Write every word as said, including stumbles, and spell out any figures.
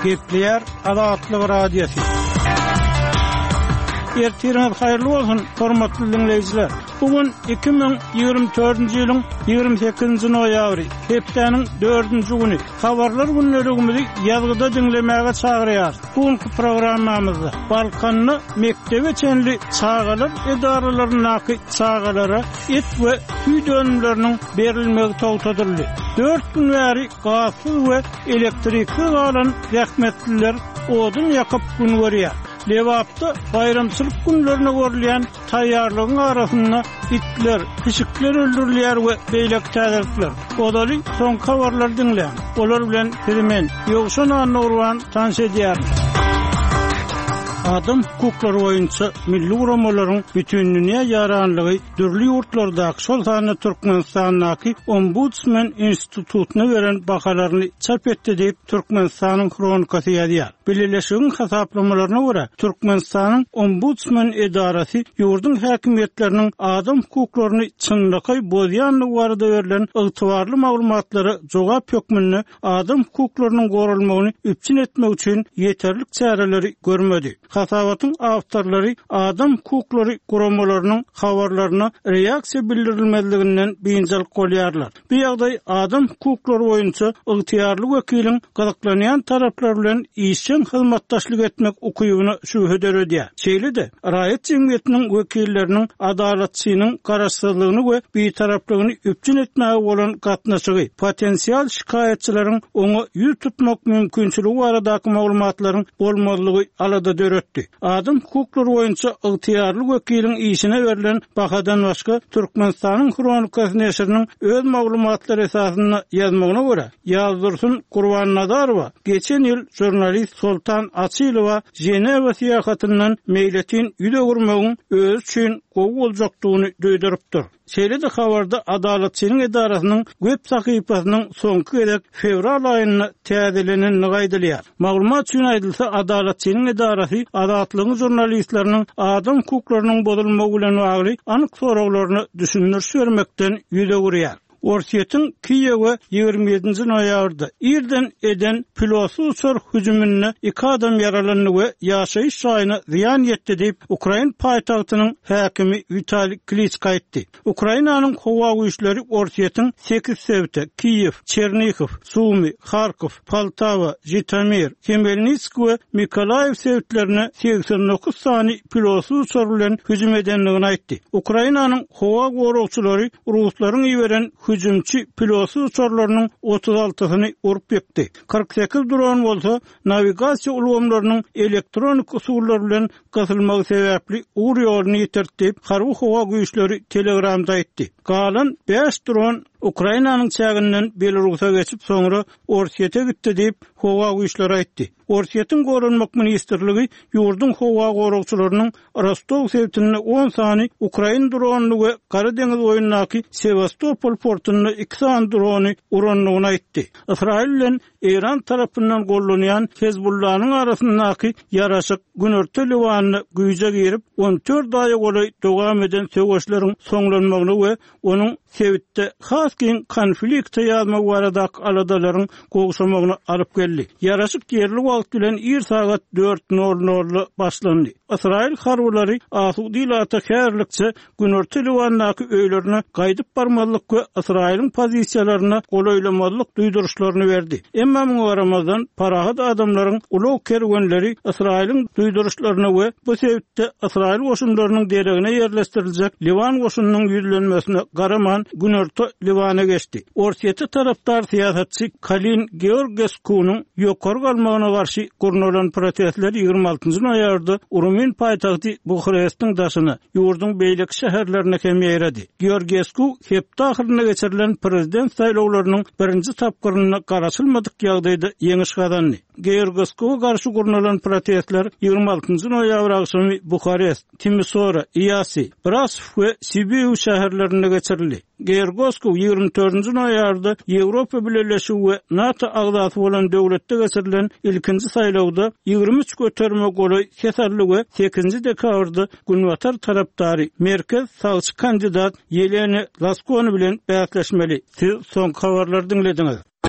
Gepleýär Azatlyk Radiosy. Ertiriňiz haýyrly bolsun, hormatly diňleýjiler. Bu gün iki müň ýigrimi dördünji ýylyň ýigrimi sekizinji noýabry, hepdäniň dördünji güni. Habarlar gündeligimizi ýazgyda diňlemäge çagyrýarys. Bu günki programmamyzda Balkanda mekdebe çenli çagalar edaralaryndaky çagalara et we süýt önümleriniň berilmegi togtadyldy. Dört gün bäri gazsyz we elektriksiz galan zähmetliler odun ýakyp gün görýär. Lebapda baýramçylyk günlerine görülýän taýýarlygyň arasynda itler, pişikler öldürilýär we beýleki täzelikler. Ozaly soňky habarlary diňläň. Olar bilen sizi men, Ýowşan Annagurban tanyş edýärin. Adam hukuklary boýunça milli guramalaryň bütindünýä ýaranlygy dürli ýurtlardaky, şol sanda Türkmenistandaky Ombudsman institutyna beren bahalaryny çap etdi diýip, Türkmenistanyň Hronikasy ýazýar. Bileleşigiň hasaplamalaryna görä, Türkmenistanyň Ombudsman edarasy ýurduň häkimiýetleriniň adam hukuklaryny çynlakaý bozýandygy barada berlen ygtybarly maglumatlara jogap hökmünde adam hukuklarynyň goralmagyny üpjün etmek üçin ýeterlik çäreleri görmedi. Hasabatyň awtorlary adam hukuklary guramalarynyň habarlaryna reaksiýa bildirilmezliginden biynjalyk bolýarlar. Bu ýagdaý adam hukuklary boýunça ygtyýarly wekiliň gyzyklanýan taraplar bilen işjeň hyzmatdaşlyk etmek ukybyna şübhe döredýär. Şeýle-de, raýat jemgyýetiniň wekilleriniň adalatçynyň garaşsyzlygyny we bitaraplygyny üpjün etmäge bolan gatnaşygy, potensial şikaýatçylaryň oňa ýüz tutmak mümkinçiligi baradaky maglumatlaryň bolmazlygy alada döretdi. Adam hukuklary boýunça ygtyýarly wekiliň işine berlen bahadan başga Türkmenistanyň Hronikasy neşiriniň öz maglumatlary esasynda ýazmagyna görä, Ýazdursun Gurbannazarowa geçen ýyl žurnalist Soltan Açylowa Ženewa syýahatyndan meýletin ýüz öwürmegiň özi üçin gowy boljakdygyny duýdurypdyr. Şeýle-de habarda Adalatçynyň edarasynyň web sahypasynyň soňky gezek fewral aýynda täzelenendigi aýdylýar. Maglumat üçin aýdylsa, Adalatçynyň edarasy Azatlygyň žurnalistleriniň adam hukuklarynyň bozulmagy bilen bagly anyk soraglaryna düşündiriş bermekden ýüz öwürýär. Orsýetiň Kiýewe ýigrimi ýedinji noýabrda irden eden pilotsyz uçar hüjüminde iki adam ýaralandy we ýaşaýyş jaýyna zyýan ýetdi diýip, ukrain paýtagtynyň häkimi Witaliý Kliçko aýtdy. Ukrainanyň howa güýçleri Orsýetiň sekiz sebite, Kiýew, Çernihow, Sumy, Harkow, Poltawa, Žitomir, Hmelnitsk we Mykolaýiw sebitlerine segsen dokuz sany pilotsyz uçar bilen hüjüm edendigini aýtdy. Ukrainanyň howa goragçylary ruslaryň iberen hüjümçi pilotsyz uçarlarynyň otuz altysyny urup ýykdy. Kyrk sekiz dron bolsa nawigasiýa ulgamlarynyň elektronik usullar bilen gysylmagy sebäpli ugur ýoluny ýitirdi diýip, harby howa güýçleri Telegramda aýtdy. Galan bäş dron Ukrainanyň çäginden Belarusa geçip, soňra Orsýete gitdi diýip, howa güýçleri aýtdy. Orsýetiň Goranmak ministrligi ýurduň howa goragçylarynyň Rostow sebitinde on sany ukrain dronyny we Gara deňiz boýundaky Sewastopol portunda iki sany drony urandygyny aýtdy. Ysraýyl bilen Eýran tarapyndan gollanýan Hezbollanyň arasyndaky ýaraşyk Günorta Liwanda güýje girip, on dört aýa golaý dowam eden söweşleriň soňlanmagyna we onuň sebitde has giň konflikte ýazmagy baradaky aladalaryň gowşamagyna alyp geldi. Ýaraşyk ýerli wagt bilen ir sagat dört nol nolda başlandy. Ysraýyl harbylary asuda ilata häzirlikçe Günorta Liwandaky öýlerine gaýdyp barmazlyk we Ysraýylyň pozisiýalaryna golaýlamazlyk duýduryşlaryny berdi. Emma muňa garamazdan, parahat adamlaryň ulag kerwenleri Ysraýylyň duýduryşlaryna we bu sebitde Ysraýyl goşunlarynyň deregine ýerleşdiriljek Liwan goşunynyň ýüzlenmesine garaman Günorta Liwana geçdi. Orsýete tarapdar syýasatçy Kalin Georgeskunyň ýokary galmagyna garşy gurnalan protestler ýigrimi altynjy noýabrda Rumyn paýtagty Buharestiň daşyna, ýurduň beýleki şäherlerine hem ýaýrady. Georgesku hepde ahyrynda geçirilen prezident saýlawlarynyň birinji tapgyrynda garaşylmadyk ýagdaýda ýeňiş gazandy. Georgeskuwa garşy gurnalan protestler ýigrimi altynjy noýabr agşamy Buharest, Timisora, Iýasi, Brasow we Sibiu şäherlerinde geçirildi. Georgesku ýigrimi dördünji noýabrda Ýewropa Bileleşigi we NATO agzasy bolan döwletde geçirilen ilkinji saýlawda ýigrimi üç göterime golaý ses aldy we sekizinji dekabrda Günbatar tarapdary merkez sagçy kandidat Ýelena Laskoni bilen bäsleşmeli. Siz soňky habarlary diňlediňiz.